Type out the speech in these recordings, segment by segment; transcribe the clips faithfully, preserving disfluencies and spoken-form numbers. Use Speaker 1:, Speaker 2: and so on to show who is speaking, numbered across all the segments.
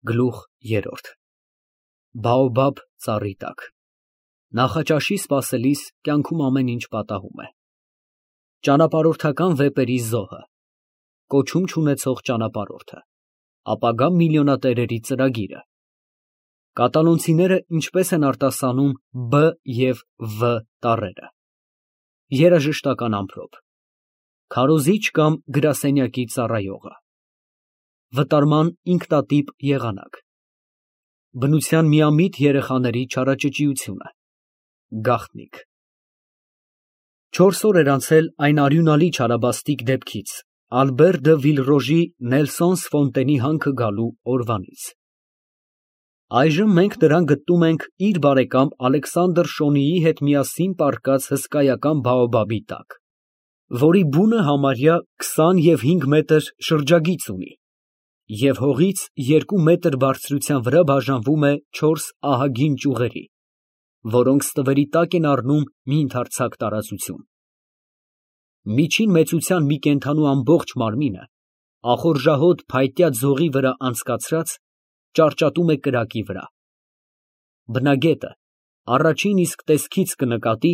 Speaker 1: Գլուխ երրորդ Բաոբաբ ծառի տակ Նախաճաշի սպասելիս կյանքում ամեն ինչ պատահում է։ Ճանապարհորդական վեպերի զոհը, կոչում չունեցող ճանապարհորդը, ապագա միլիոնատերերի ծրագիրը, կատալոնցիները ինչպես են արտասանում բ և վ տառերը, երաժշտական ամպրոպ, քարոզիչ կամ գրասենյակի ծառայողը, վտարման ինքնատիպ եղանակ, բնության միամիտ երեխաների չարաճճիությունը, գաղտնիք։ Չորս օր էր անցել այն արյունալի չարաբաստիկ դեպքից, Ալբեր դը Վիլռոժի Նելսոնս Ֆոնտենի հանքը գալու օրվանից։ Այժմ մենք նրան գտնում ենք իր բարեկամ Ալեքսանդր Շոնիի հետ միասին պառկած հսկայական բաոբաբի տակ, որի բունը համարյա քսան և հինգ մետր շրջագիծ ունի, և հողից երկու մետր բարձրության վրա բաժանվում է չորս ահագին ճյուղերի, որոնք ստվերի տակ են առնում մի ընդարձակ տարածություն։ Միջին մեծության մի կենդանու ամբողջ մարմինը, ախորժահոտ փայտյա ձողի վրա անցկացրած, ճարճատում է կրակի վրա։ Բնագետը առաջին իսկ տեսքից կնկատի,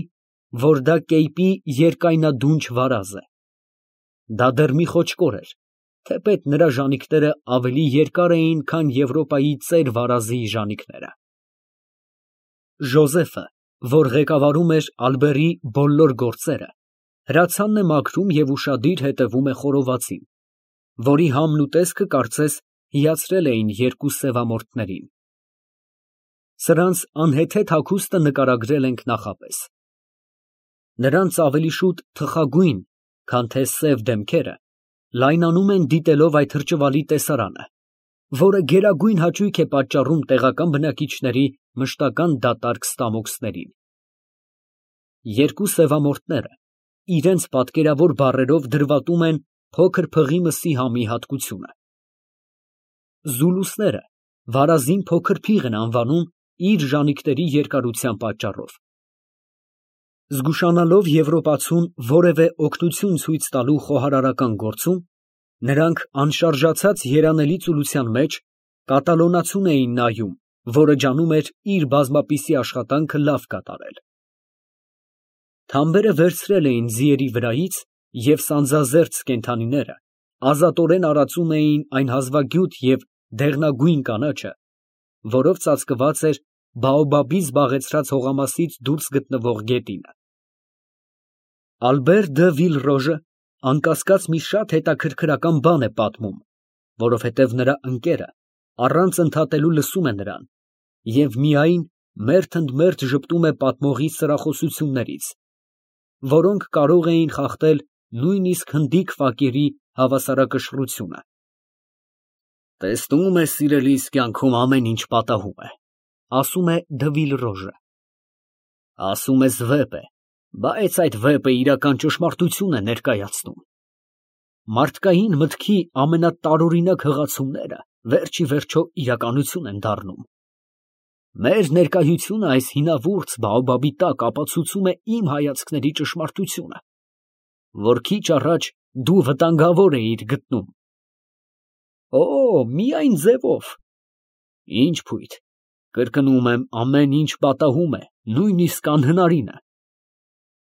Speaker 1: որ դա կեյպի երկայնադունչ վարազ է։ Դա դեռ մի խոճկոր էր, թեպետ նրա ժանիքները ավելի երկար էին, քան Եվրոպայի ծեր վարազի ժանիքները։ Ժոզեֆը, որ ղեկավարում էր Ալբերի բոլոր գործերը, հրացանն է մաքրում և ուշադիր հետևում է խորովածին, որի համն ու տեսքը կարծես հիացրել էին երկու սևամորթներին։ Սրանց անհեթեթ հագուստը նկարագրել ենք նախապես։ Նրանց ավելի շուտ թխագույն, քան թե սև դեմքերը լայնանում են դիտելով այդ հրճվալի տեսարանը, որը գերագույն հաճույք է պատճառում տեղական բնակիչների մշտական դատարկ ստամոքսներին։ Երկու սևամորթները իրենց պատկերավոր բառերով դրվատում են փոքր փղի մսի համի հատկությունը։ Զուլուսները վարազին փոքր փիղ են անվանում իր ժանիքների երկարության պատճառով։ Զգուշանալով եվրոպացուն որևէ օգնություն ցույց տալու խոհարարական գործում, նրանք անշարժացած երանելի ծուլության մեջ կատալոնացուն էին նայում, որը ջանում էր իր բազմապիսի աշխատանքը լավ կատարել։ Թամբերը վերցրել էին ձիերի վրայից, և սանձազերծ կենդանիները ազատորեն արածում էին այն հազվագյուտ և դեղնագույն կանաչը, որով ծածկված էր բաոբաբի զբաղեցրած հողամասից դուրս գտնվող գետինը։ Ալբեր դը Վիլռոժը անկասկած մի շատ հետաքրքրական բան է պատմում, որովհետև նրա ընկերը առանց ընդհատելու լսում է նրան և միայն մերթ ընդ մերթ ժպտում է պատմողի սրախոսություններից, որոնք կարող էին խախտել նույնիսկ հնդիկ ֆակերի հավասարակշռությունը։ «Տեսնում ես, սիրելիս, կյանքում ամեն ինչ պատահում է», ֊ ասում է դը Վիլռոժը։ «Ասում ես վեպ է, բայց այդ վեպը իրական ճշմարտություն է ներկայացնում։ Մարդկային մտքի ամենատարօրինակ հղացումները վերջ ի վերջո իրականություն են դառնում։ Մեր ներկայությունը այս հինավուրց բաոբաբի տակ ապացուցում է իմ հայացքների ճշմարտությունը, որ քիչ առաջ դու վտանգավոր էիր գտնում։ Օ, միայն ձևով։ Ինչ փույթ, կրկնում եմ, ամեն ինչ պատահում է, նույնիսկ անհնարինը։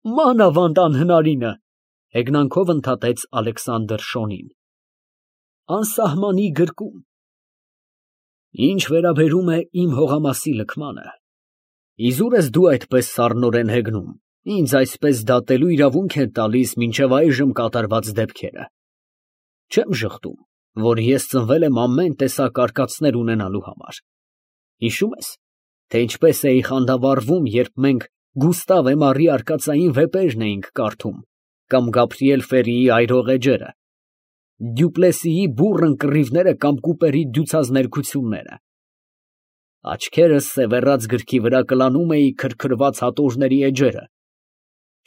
Speaker 1: Մանավանդ անհնարինը, ֊ հեգնանքով ընդհատեց Ալեքսանդր Շոնին։ Անսահմանի գրկում։ Ինչ վերաբերում է իմ հողամասի լքմանը, իզուր ես դու այդպես սառնորեն հեգնում, ինձ այսպես դատելու իրավունք են տալիս մինչև այժմ կատարված դեպքերը։ Չեմ ժխտում, որ ես ծնվել եմ ամեն տեսակ արկածներ ունենալու համար։ Հիշո՞ւմ ես, թե ինչպես էի խանդավառվում, երբ մենք Գուստավ Էմարի արկածային վեպերն էինք կարդում, կամ Գաբրիել Ֆերիի այրող էջերը, Դյուպլեսիի բուռն կռիվները կամ Կուպերի դյուցած ներքությունները։ Աչքերս սևեռած գրքի վրա կլանում էի քրքրված հատորների էջերը։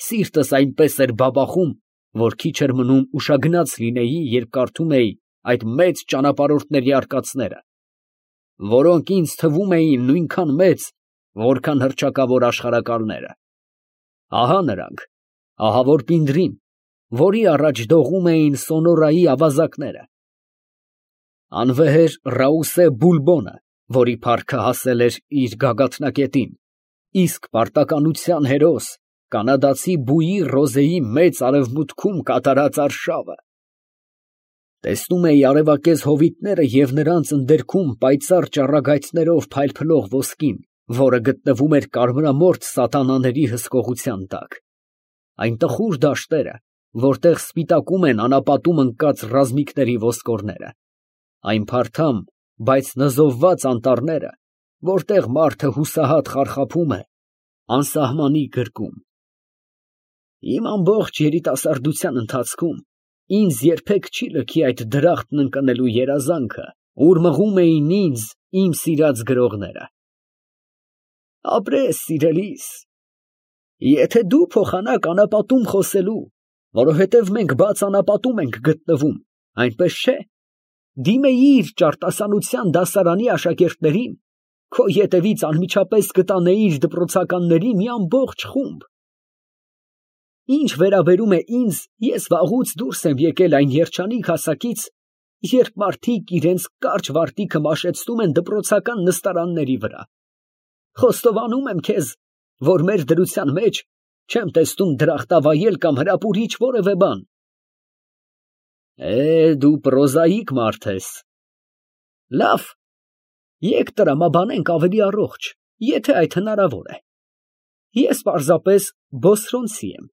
Speaker 1: Սիրտս այնպես էր բաբախում, որ քիչ էր մնում ուշագնաց լինեի, երբ կարդում էի այդ մեծ ճանապարհորդների արկածները, որոնք ինձ թվում էին նույնքան մեծ, որքան հռչակավոր աշխարհակալները։ Ահա նրանք, ահավոր Պինդրին, որի առաջ դողում էին Սոնորայի ավազակները։ Անվեհեր Ռաուսե Բուլբոնը, որի փառքը հասել էր իր գագաթնակետին, իսկ պարտականության հերոս կանադացի Բուի Ռոզեի մեծ արևմուտքում կատարած արշավը։ Տեսնում էի արևակեզ հովիտները և նրանց ընդերքում պայծառ ճառագայթներով փայլփլող ոսկին, որը գտնվում էր կարմրամորթ սատանաների հսկողության տակ։ Այն տխուր դաշտերը, որտեղ սպիտակում են անապատում ընկած ռազմիկների ոսկորները, այն փարթամ, բայց նզովված անտառները, որտեղ մարդը հուսահատ խարխափում է անսահմանի գրկում։ Իմ ամբողջ երիտասարդության ընթացքում ինձ երբեք չի լքի այդ դրախտն ընկնելու երազանքը, ուր մղում էին ինձ իմ սիրած գրողները։ Ապրես, սիրելիս, եթե դու փոխանակ անապատում խոսելու, որովհետև մենք բաց անապատում ենք գտնվում, այնպես չէ, դիմեիր ճարտասանության դասարանի աշակերտներին, քո ետևից անմիջապես կտանեիր դպրոցականների մի ամբողջ խումբ։ Ինչ վերաբերում է ինձ, ես վաղուց դուրս եմ եկել այն երջանիկ հասակից, երբ մարդիկ իրենց կարճ վարտիքը մաշեցնում են դպրոցական նստարանների վրա։ Խոստովանում եմ քեզ, որ մեր դրության մեջ չեմ տեսնում դրախտավայել կամ հրապուրիչ որևէ բան։ Է, դու պրոզաիկ մարդ ես։ Լավ, եկ տրամաբանենք ավելի առողջ, եթե այդ հնարավոր է։ Ես պարզապես բոսրոնցի եմ,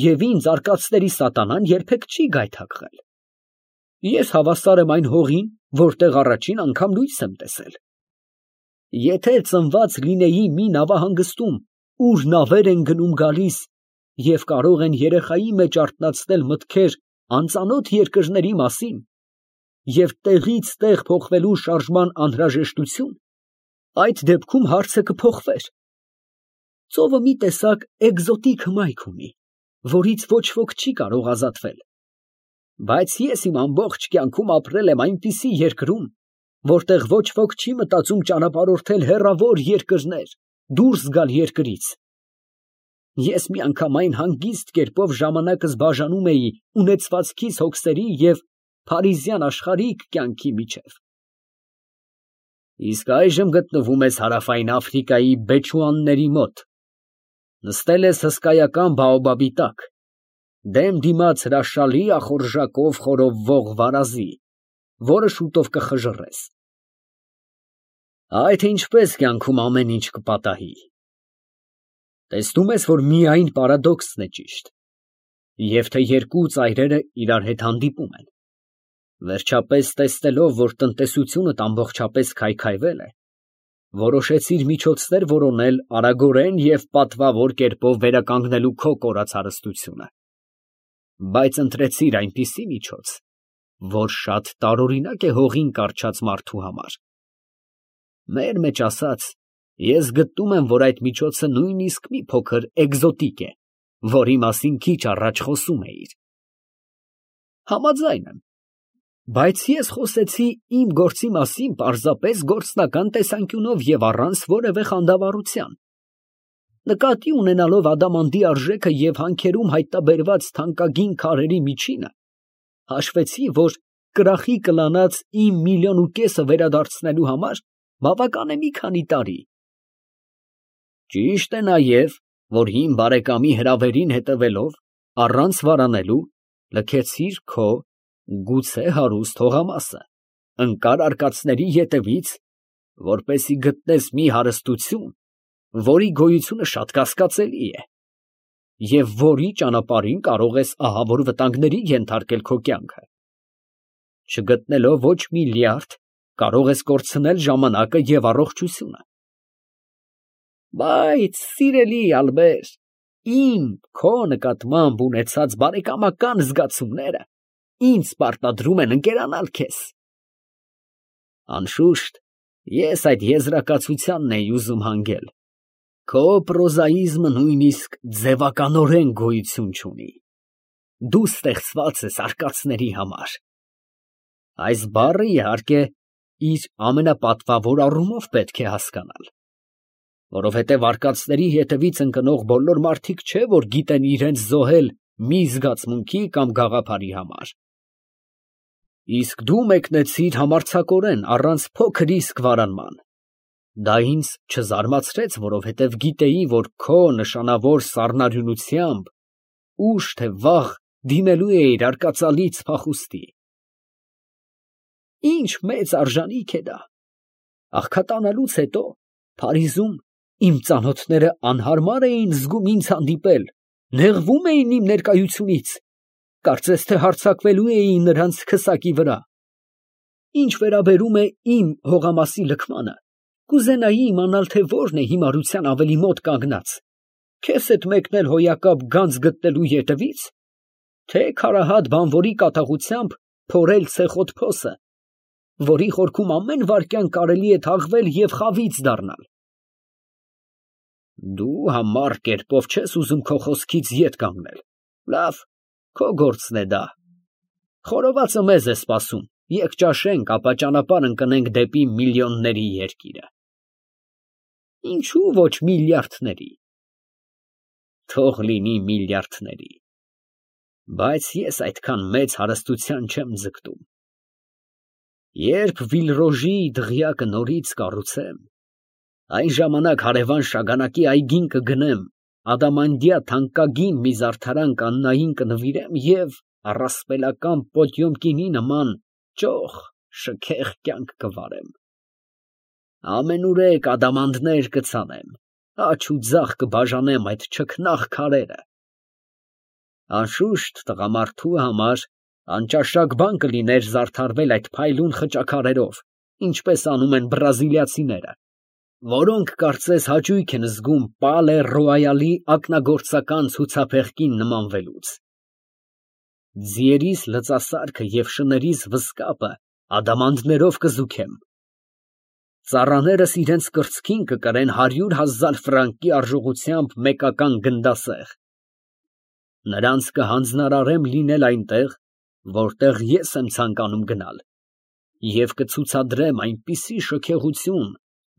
Speaker 1: և ինձ արկածների սատանան երբեք չի գայթակղել։ Ես հավասար եմ այն հողին, որտեղ առաջին անգամ լույս եմ տեսել։ Եթե ծնված լինեի մի նավահանգստում, ուր նավեր են գնում գալիս և կարող են երեխայի մեջ արթնացնել մտքեր անծանոթ երկրների մասին և տեղից տեղ փոխվելու շարժման անհրաժեշտություն, այդ դեպքում հարցը կփոխվեր։ Ծովը մի տեսակ էկզոտիկ հմայք ունի, որից ոչ ոք չի կարող ազատվել։ Բայց ես իմ ամբողջ կյանքում ապրել եմ այնպիսի երկրում, որտեղ ոչ ոք չի մտածում ճանապարհորդել հեռավոր երկրներ, դուրս գալ երկրից։ Ես միանգամայն հանգիստ կերպով ժամանակս բաժանում էի ունեցվածքիս հոգսերի և փարիզյան աշխարհիկ կյանքի միջև։ Իսկ այժմ գտնվում ես Հարավային Աֆրիկայի բեչուանների մոտ, նստել ես հսկայական բաոբաբի տակ, դեմ դիմաց հրաշալի ախորժակով խորովվող վարազի, որը շուտով կխժռես։ Այդ ինչպես կյանքում ամեն ինչ կպատահի։ Տեսնում ես, որ միայն պարադոքսն է ճիշտ, և թե երկու ծայրերը իրար հետ հանդիպում են։ Վերջապես տեսնելով, որ տնտեսությունդ ամբողջապես քայքայվել է, որոշեցիր միջոցներ որոնել արագորեն և պատվավոր կերպով վերականգնելու քո կորած հարստությունը։ Բայց ընտրեցիր այնպիսի միջոց, որ շատ տարօրինակ է հողին կառչած մարդու համար։ Մեր մեջ ասած, ես գտնում եմ, որ այդ միջոցը նույնիսկ մի փոքր էկզոտիկ է, որի մասին քիչ առաջ խոսում էիր։ Համաձայն եմ, բայց ես խոսեցի իմ գործի մասին պարզապես գործնական տեսանկյունով և առանց որևէ խանդավառության։ Նկատի ունենալով ադամանդի արժեքը և հանքերում հայտնաբերված թանկագին քարերի միջինը, հաշվեցի, որ կրախի կլանած իմ միլիոն ու կեսը վերադարձնելու համար բավական է մի քանի տարի։ Ճիշտ է նաև, որ հին բարեկամի հրավերին հետևելով, առանց վարանելու, լքեցիր քո գուցե հարուստ հողամասը, ընկար արկածների ետևից, որպեսզի գտնես մի հարստություն, որի գոյությունը շատ կասկածելի է, և որի ճանապարհին կարող ես ահավոր վտանգների ենթարկել քո կյանքը։ Չգտնելով ոչ մի լյարդ, կարող ես կորցնել ժամանակը և առողջությունը։ Բայց, սիրելի Ալբեր, իմ քո նկատմամբ ունեցած բարեկամական զգացումները ինձ պարտադրում են ընկերանալ քեզ։ Անշուշտ, ես այդ եզրակացությանն էի ուզում հանգել։ Քո պրոզաիզմը նույնիսկ ձևականորեն գոյություն չունի։ Դու ստեղծված ես արկածների համար։ Այս բառը, իհարկե, իր ամենապատվավոր առումով պետք է հասկանալ, որովհետև արկածների հետևից ընկնող բոլոր մարդիկ չէ, որ գիտեն իրենց զոհել մի զգացմունքի կամ գաղափարի համար։ Իսկ դու մեկնեցիր համարձակորեն առանց փոքր իսկ վարանման։ Դա ինձ չզարմացրեց, որովհետև գիտեի, որ քո նշանավոր սառնարյունությամբ ուշ թե վաղ դիմելու էիր արկածալից փախուստի։ Ինչ մեծ արժանիք է դա։ Աղքատանալուց հետո Փարիզում իմ ծանոթները անհարմար էին զգում ինձ հանդիպել, նեղվում էին իմ ներկայությունից, կարծես թե հարձակվելու էի նրանց քսակի վրա։ Ինչ վերաբերում է իմ հողամասի լքմանը, կուզենայի իմանալ, թե որն է հիմարության ավելի մոտ կանգնած, քեզ հետ մեկնել հոյակապ գանձ գտնելու ետևից, թե քարահատ բանվորի կատաղությամբ փորել ցեխոտ փոսը, որի խորքում ամեն վայրկյան կարելի է թաղվել և խավից դառնալ։ Դու համառ կերպով չես ուզում քո խոսքից ետ կանգնել։ Լավ, քո գործն է դա։ Խորովածը մեզ է սպասում, եկ ճաշենք, ապա ճանապարհ ընկնենք դեպի միլիոնների երկիրը։ Ինչու ոչ միլիարդների։ Թող լինի միլիարդների, բայց ես այդքան մեծ հարստության չեմ ձգտում։ Երբ Վիլրոժի դղյակը նորից կառուցեմ, այն ժամանակ հարևան Շագանակի այգին կգնեմ, ադամանդյա թանկագին մի զարդարան կաննային կնվիրեմ և առասպելական Պոտյոմկինի նման ճոխ շքեղ կյանք կվարեմ։ Ամենուրեք ադամանդներ կցանեմ, աջ ու ձախ կբաժանեմ այդ չքնաղ քարերը։ Անշուշտ տղամարդու համար անճաշակ բան կլիներ զարդարվել այդ փայլուն խճաքարերով, ինչպես անում են բրազիլիացիները, որոնք կարծես հաճույք են զգում Պալե Ռոյալի ակնագործական ցուցափեղկին նմանվելուց։ Ձիերիս լծասարքը և շներիս վզկապը ադամանդներով կզուգեմ։ Ծառաներս իրենց կրծքին կկրեն հարյուր հազար ֆրանկի արժողությամբ մեկական գնդասեղ։ Նրանց կհանձնարարեմ լինել այնտեղ, որտեղ ես եմ ցանկանում գնալ, և կցուցադրեմ այնպիսի շքեղություն,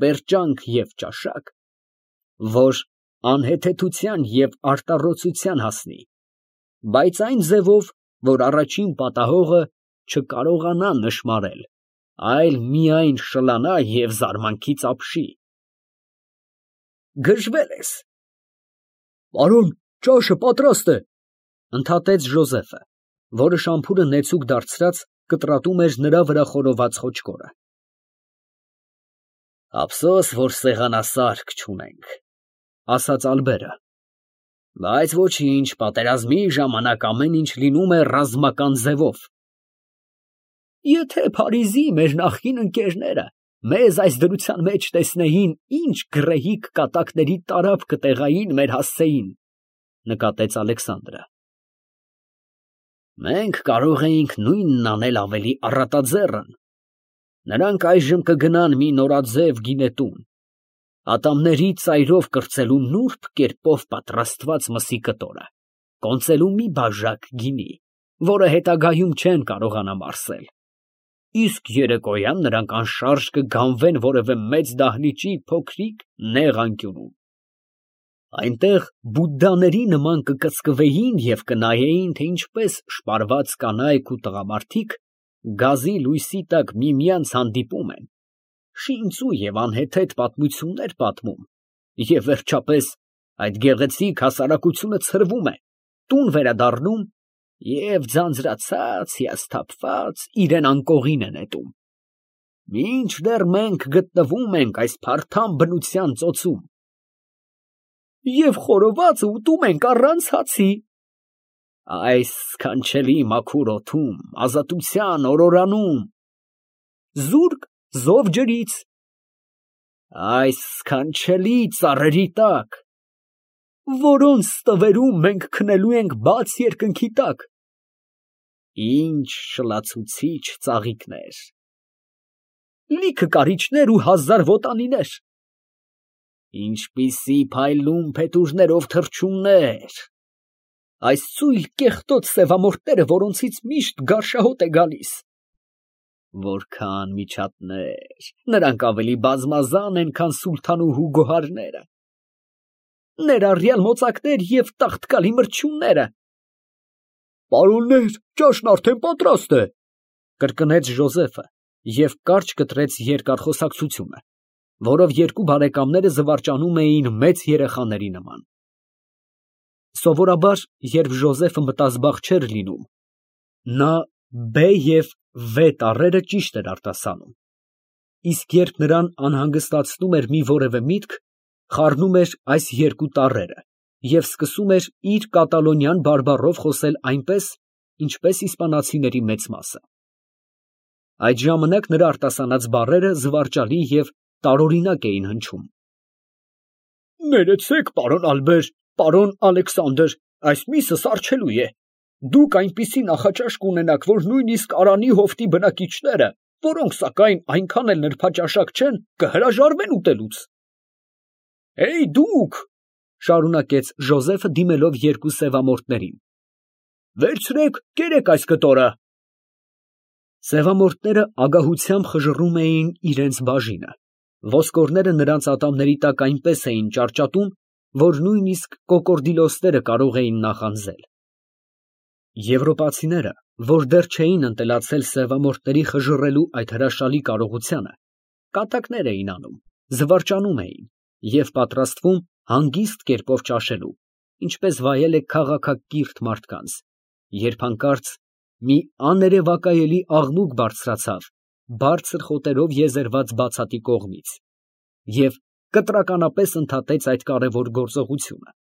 Speaker 1: պերճանք և ճաշակ, որ անհեթեթության և արտառոցության հասնի, բայց այն ձևով, որ առաջին պատահողը չկարողանա նշմարել, այլ միայն շլանա և զարմանքից ապշի։ Գժվել ես։ Պարոն, ճաշը պատրաստ է, ընդհատեց Ժոզեֆը, որը շամփուրը նեցուկ դարձրած կտրատում էր նրա վրա խորոված խոճկորը։ Ափսոս, որ սեղանասարք չունենք, ասաց Ալբերը, բայց ոչինչ, պատերազմի ժամանակ ամեն ինչ լինում է ռազմական ձևով։ Եթե Փարիզի մեր նախկին ընկերները մեզ այս դրության մեջ տեսնեին, ինչ գռեհիկ կատակների տարափ կտեղային մեր հասցեին, նկատեց Ալեքսանդրը։ Մենք կարող էինք նույնն անել ավելի առատաձեռն։ Նրանք այժմ կգնան մի նորաձև գինետուն, ատամների ծայրով կրծելու նուրբ կերպով պատրաստված մսի կտորը, կոնծելու մի բաժակ գինի, որը հետագայում չեն կարողանա մարսել։ Իսկ երեկոյան նրանք անշարժ կգանվեն որևէ մեծ դահլիճի փոքրիկ նեղ անկյունում։ Այնտեղ բուդդաների նման կկծկվեին և կնայեին, թե ինչպես շպարված կանայք ու տղամարդիկ գազի լույսի տակ միմյանց հանդիպում են, շինծու և անհեթեթ պատմություններ պատմում, և վերջապես այդ գեղեցիկ հասարակությունը ցրվում է, տուն վերադառնում և ձանձրացած, հիասթափված իրան անկողին է նետում, մինչդեռ մենք գտնվում ենք այս փարթամ բնության ծոցում։ Եվ խորովածը ուտում ենք առանց հացի։ Այս սքանչելի մաքուր օդում, ազատության օրորանում, զուրկ զով ջրից, այս սքանչելի ծառերի տակ, որոնց ստվերում մենք քնելու ենք բաց երկնքի տակ։ Ինչ շլացուցիչ ծաղիկներ, լիքը կարիճներ ու հազար վոտանիներ, ինչպիսի փայլուն փետուրներով թռչուններ, այս ծույլ կեղտոտ սևամորթները, որոնցից միշտ գարշահոտ է գալիս, որքան միջատներ, նրանք ավելի բազմազան են, քան սուլթանուհու գոհարները, ներառյալ մոծակներ և տաղտկալի մրջյունները։ Պարոններ, ճաշն արդեն պատրաստ է, կրկնեց Ժոզեֆը և կարճ կտրեց երկար խոսակցությունը, որով երկու բարեկամները զվարճանում էին մեծ երեխաների նման։ Սովորաբար, երբ Ժոզեֆը մտազբաղ չէր լինում, նա «բ» և «վ» տառերը ճիշտ էր արտասանում, իսկ երբ նրան անհանգստացնում էր մի որևէ միտք, խառնում էր այս երկու տառերը և սկսում էր իր կատալոնյան բարբառով խոսել այնպես, ինչպես իսպանացիների մեծ մասը։ Այդ ժամանակ նրա արտասանած բառերը զվարճալի և տարօրինակ էին հնչում։ Ներեցեք, պարոն Ալբեր, պարոն Ալեքսանդր, այս միսը սառչելու է։ Դուք այնպիսի նախաճաշ կունենաք, որ նույնիսկ Արանի հովտի բնակիչները, որոնք սակայն այնքան էլ նրբաճաշակ չեն, կհրաժարվեն ուտելուց։ Էյ դուք, շարունակեց Ժոզեֆը դիմելով երկու սևամորթներին, վերցրեք, կերեք այս կտորը։ Սևամորթները ագահությամբ խժռում էին իրենց բաժինը, ոսկորները նրանց ատամների տակ այնպես էին ճարճատում, որ նույնիսկ կոկորդիլոսները կարող էին նախանձել։ Եվրոպացիները, որ դեռ չէին ընտելացել սևամորթների խժռելու այդ հրաշալի կարողությանը, կատակներ էին անում, զվարճանում էին և պատրաստվում հանգիստ կերպով ճաշելու, ինչպես վայել է քաղաքակիրթ մարդկանց, երբ հանկարծ մի աներևակայելի աղմուկ բարձրացավ բարձր խոտերով եզերված բացատի կողմից և կտրականապես ընդհատեց այդ կարևոր գործողությունը։